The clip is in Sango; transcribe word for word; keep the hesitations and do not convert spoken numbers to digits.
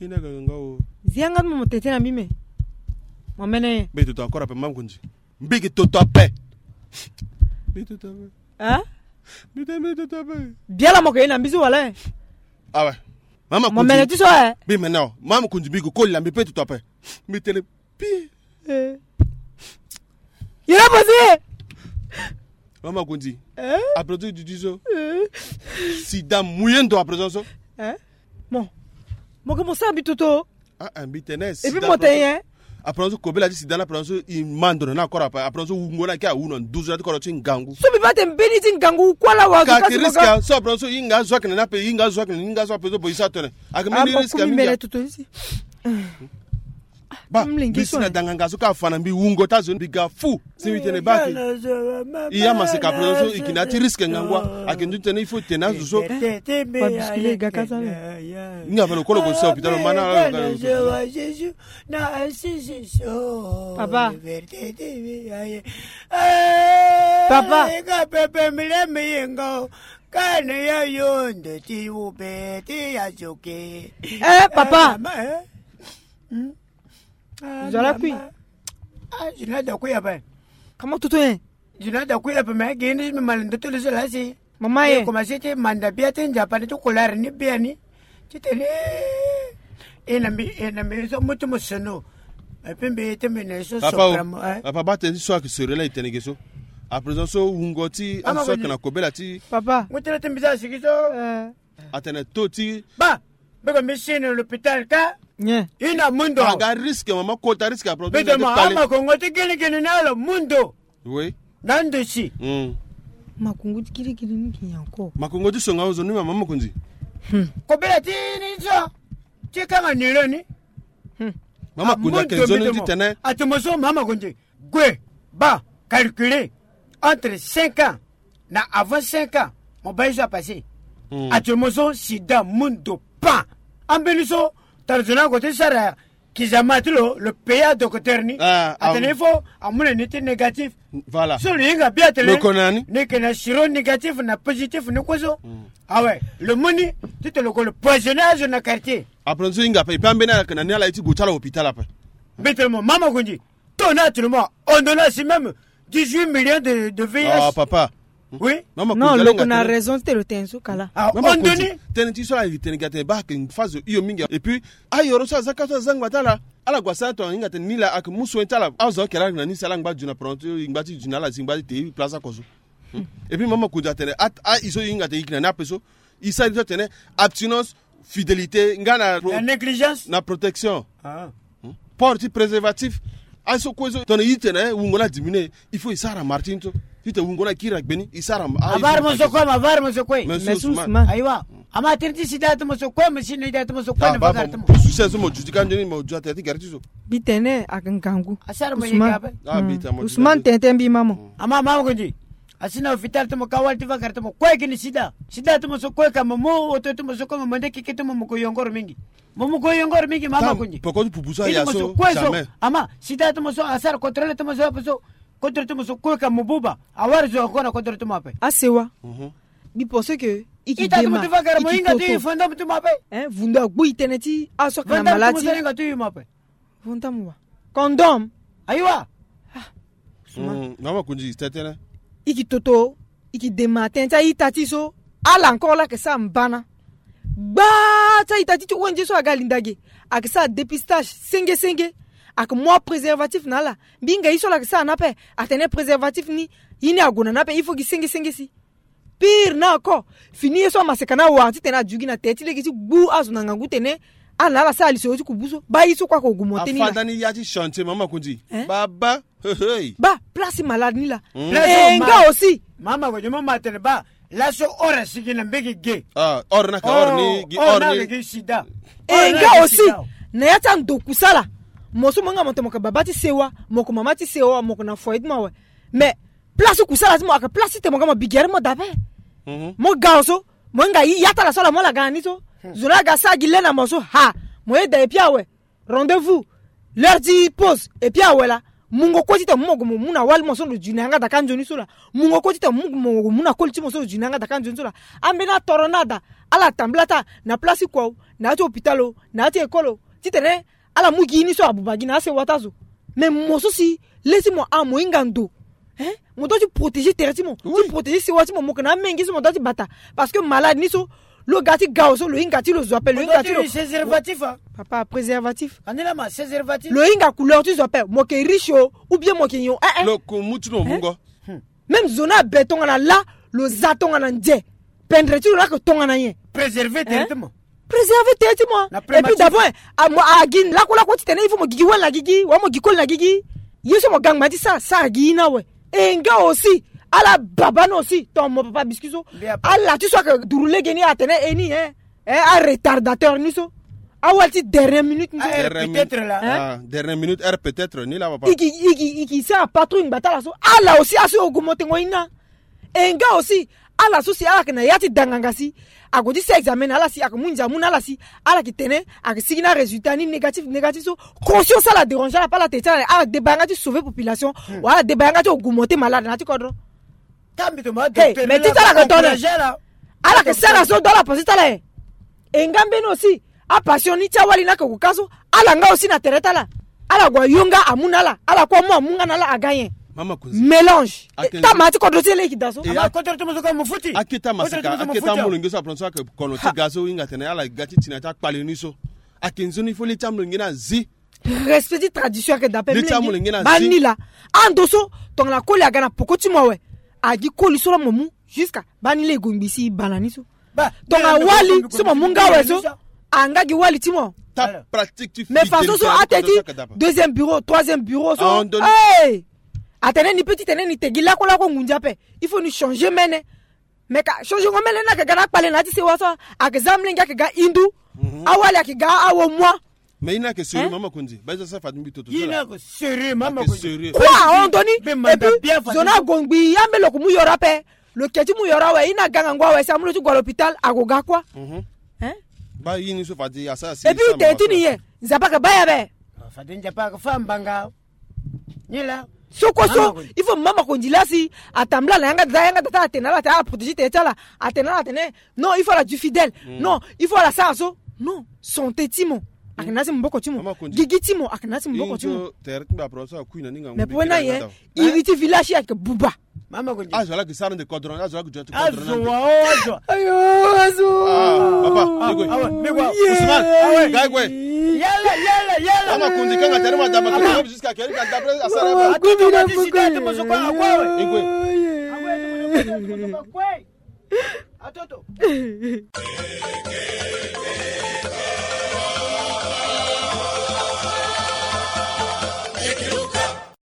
Ina ga nga o. Zia nga mo tete na mbi me. Mo mene ye. Mbi toto encore ape, mama Kundi. Mbi ki toto ape. Mbi toto ape. Hein? Mbi te mbi toto ape. Biala mo ke ye na mbi so wala e? Ah ouais. Mama Kundi. Mo mene ti so e? Mbi mene o. Mama Kundi, mbi ki koli na mbi pe toto ape. Mbi tene pi. Eh. Yere mo si. Mama Kundi. Eh? Après tout, tu dis so. Eh. Sida mouillé ndo après so. Eh? Bon. Mo ke mo sa mbi toto. Ah, ah, mbi tene. Et puis sida mo te après so, hein? Après so kobela ti sida la, après so i ma ndo na na kora pa. Après so wungo na ke awu na nduzu na ti kora ti ngangu. So mbi ba te mbeni ti ngangu kwala wa zo. Ka ti riska so après so i nga zo akene na pe, i nga zo akene, i nga zo après so bo i sa tene. Ake mbeni riska mi mene toto isi. Ba, mbi si na danganga so ka fa na mbi wungo ti azo ni mbi ga fu. Si mbi tene ba ke. I ya maseka après so i kina ti risque ngangu a. Ake ndu tene il faut tene azo so. Ba bousculer i ga ka so. Nga fa lo kolo ko sa hôpital lo mana. Papa. Papa. Nga pepe mile mi yengo. Kane ya yondo ti ube ti ya zoke. Eh, papa. Zola kui. Ah, zina da kui ape. Kama tutu ye. Zina da kui ape, me gini mi mal ndoto le zola si. Mama ye. Koma si ti manda bia ti nzapa ni ti kolare ni bia ni. Ti tene. Ina mbi, ina mbi so mutu mo sono. Et puis mbi ti mbi ne so. Papa o. Papa, ba tene ti so ake sori la i tene ge so. À présent so wungo ti aso ake na kobela ti. Papa. Mu tene ti mbi so asigi so. Atene to ti. Ba. Mbeko mbi si na l'hôpital ka. Nye. I na mundo. Aga risque, mama, kota risque, après. Beto ma ama kongo ti gini gini na lo mundo. Oui. Na ndo si. Makongo ti gini gini ni ki encore. Makongo ti songa ozo ni, mama Makonzi. Kobela ti ni so. Ti kanga ni lo ni. Mama Makonzi ake nzoni ti tene. Atomo so, mama Makonzi. Gue, ba, calculer entre cinq ans na avant cinq ans, mo ba ye so apasser. Actuellement so sida mundo pan. Ambeni so, tara zo na ko ti sara kizama ti lo, le pays adocteur ni. Atene il faut amu na ni ti négatif. Voilà. So lo hinga bien atene lo ko na ni, ni ke na siro négatif na positif ni kue so. Ah ouais, lo mu ni ti tene lo ko lo poisonner azo na quartier. Après so hinga ape, e pe ambeni ala ke na ni ala ye ti gue ti ala hôpital ape. Mbetele mo, mama Makonzi. Ton actuellement, on donne aussi même dix-huit millions de, de V I H. Ah, papa. Oui. Non, lo ko na raison ti tene lo tene so kala. Ah, on donne. Tene ti so ala tene ga tene ba ake phase iyo mingi. Et puis, ayoro so aza ka so aza ngba ti ala. Ala gua sara ton hinga tene ni la ake mu soin ti ala. Azo ake la na ni si ala ngba ju na pronto, ngba ti ju na ala si ngba ti te place ako so. Et puis mama Makonzi atene a, a, i so i hinga tene i ke na ni ape so. I sara ni so atene abstinence, fidélité, nga na pro-, la négligence, na protection. Ah. Port ti préservatif. Aye so kue so tongana i tene wungo ni adiminuer, il faut i sara martin so. Ti tene wungo ni akiri na gbeni, i sara. Avari mo so kue ma, avari mo so kue. Mais Ousmane. Ayiwa. Ama tene ti sida ti mo so kue, mo si na ida ti mo so kue na va gari ti mo. Souci so mo ju ti ka nzoni mo ju atene ti gari ti so. Mbi tene ake ngangu. Asara mo yeke ape. Ousmane tene ti mbi mama. Ama mama Makonzi. Asi na hôpital ti mo ka wali ti va gari ti mo kue gini sida. Sida ti mo so kue ka mo mu oto ti mo so kue mo mande keke ti mo mo ko yongoro mingi. Mo mo ko yongoro mingi mama Makonzi. Poko ti pupu so aya so kue so. Ama sida ti mo so asara contrôle ti mo so ape so. Contrôle ti mo so kue ka mo buba. Awari zo ako na contrôle ti mo ape. Asewa. Mbi pense que i ki dema, i ki toto. Hein, vundo agbu i tene ti aso ake na maladie. Vonda mo wa. Condom. Ayiwa. Ah, Ousmane. Mama Makonzi, tene. I ki toto, i ki dema tene ti a-ita ti so. Ala encore la ake sara mbana. Gbaa ti a-ita ti ti O N G so aga linda ge. Ake sara dépistage senge senge. Ake mu apréservatif na ala. Mbi hinga ye so ala ake sara na ape. Atene préservatif ni, ye ni ague na ni ape, il faut gi senge senge si. Pire na ako, fini ye so amaseka ni awa titene ajugi na te ti lege ti gbu azo na ngangu tene ala na ala sara lisoro ti kubu so. Ba ye so kue ako gu mo te ni na. Afanda ni ya ti chantier mama Makonzi. Hein? Baba. Hey, hey. Ba place malade ni la. E nga aussi. Mama Makonzi, mo ma tene ba laso ora sigi na mbege ge. Ah, ora na ka ora ni gi ora ni gi sida. E nga aussi. Na ya ti ando kusala. Mo so mo nga mo tene mo ka baba ti sewa, mo ko mama ti sewa, mo ko na foyer ti mo awe. Mais place kusala ti mo aka place ti tene mo ga mo bigere mo dabe. Mo ga so mo hinga ya ti ala so ala mo ala ga na ni so. Zo na aga sara gi le na mo so ha. Mo yeda e pia awe. Rendez-vous. L'heure ti pause e pia awe la. Mungo kue ti tene mo mo gue mo mu na wali mo so lo ju na yanga daka nzoni so la. Mungo kue ti tene mo mo gue mo mu na koli ti mo so lo ju na yanga daka nzoni so la. Ambeni atoro ni ada. Ala tambula taa na place ti kua o. na ya ti hôpital o, na ya ti école o, titene ala mu gi ni so abuba gi na asewa ti azo. Mais mo so si le ti mo a mo hinga ndo, hein, mo doit ti protéger tere ti mo, ti protéger sewa ti mo, mo yeke na amenge so mo doit ti bata. Parce que malade ni so, lo ga ti ga awe so, lo hinga ti lo zo ape, lo hinga ti lo. Papa, préservatif. Lo hinga couleur ti zo ape, mo yeke riche o, ou bien mo yeke nyon, eh, eh. Lo ku mu ti lo mungo. Même zo ni abe tongana la, lo za tongana nze. Pendre ti lo ni ayeke tongana nyen? Préserver tere ti mo. Préserver tere ti mo. Et puis d'abord, a mo a gi lakue lakue titene il faut mo gigi wali na gigi, wa mo gi koli na gigi. Ye so mo ga ngba ti sara, sara gi ye ni awe. E nga aussi, ala baba ni aussi, ton mo papa biscuit so. Ala ti so ayeke duru lege ni atene e ni, hein. Eh, a retardateur ni so. Awali ti dernière minute ni so. Heure peut-être la. Hein? Ah, dernière minute, heure peut-être ni la papa. Iki, iki, iki sara patrouille ngba ti ala so. Ala aussi aso augmenter ngo ye ni. E nga aussi, ala so si ala yeke na ya ti danganga si, ague ti sara examen na ala si, ayeke mu nze amu na ala si, ala yeke tene ayeke sigi na résultat ni négatif, négatif so. Conscience ala déranger ala, ala tene ti ala, ala deba yanga ti sauver population. Wala ala deba yanga ti augmenter malade na ya ti kodro. Hey, mais ti ti ala yeke tongana ala yeke sara so, do ala penser ti ala e. E nga mbeni aussi, apassion ni ti awali ni ayeke gue ka so, ala nga aussi na tere ti ala. Ala gue ayo nga amu na ala, ala kue amu amu nga na ala, aga nyen? Mélange. Tama ti kodro ti e laa e yeke daa so. Akete amasaka, akete amolenge so aplan so ayeke kono ti ga so, e hinga atene ala ga ti ti na ya ti akpale ni so. Ayeke nzoni fo le ti amolenge ni azi. Respect ti tradition ayeke daa ape. Mlenge, baa ni laa. Ando so tongana koli aga na poko ti mo awe, agi koli so laa mo mu. Jusqu'à baa ni laa e gue ngbi si e bana ni so. Tongana wali so mo mu nga awe so, anga gi wali ti mo. Mais façon so ate ti deuxième bureau, troisième bureau so, hey! Atene ni peut ti tene ni te gi lakue lakue ngunza ape. Il faut ni changer mene. Mais ka changer ngo mene ni ayeke ga na akpale na ya ti sewa so, ayeke za mlenge ayeke ga hindu. Awali ayeke ga awo moi. Mais ye ni ayeke sérieux, hein? Mama Konzi, baa ye so asara fade mbi toto so la. Ye ni ayeke sérieux, mama Konzi. Ayeke sérieux. Kua ahon ndoni. Et puis zo ni ague ngbi ambeni lo yeke mu yoro ape. Lo yeke ti mu yoro awe, ye ni aga ngangu awe si amu lo ti gue na l'hôpital, ague ga kua. Hein? Baa ye ni so fade asara sérieux. Et puis tene ti ni nyen? Nzapa ayeke baa ye abe. Fade Nzapa ayeke fâ mbanga. Ni la. So kue so, il faut mama Konzi laa si atambula na yanga da, yanga da ti ala atene na ala atene ala protéger tere ti ala, atene na ala atene non, il faut ala du fidèle. Non, il faut ala sara so. Non, santé ti mo ayeke na ya ti maboko ti mo. Gigi ti mo ayeke na ya ti maboko ti mo. Mais pue na ye, iri ti village ayeke buba. Azo laa ayeke sara nde kodro, azo laa ayeke duti kodro na nde. Ayo, azo. Ah, papa, ni gue. Ousmane, ga e gue. Yala, yala, yala. Mama Konzi kanga tere ma dama ko jusqu'à quelle heure? Atoto, ma ti sida ti mo so kue, ague awe. Ni gue. Atoto.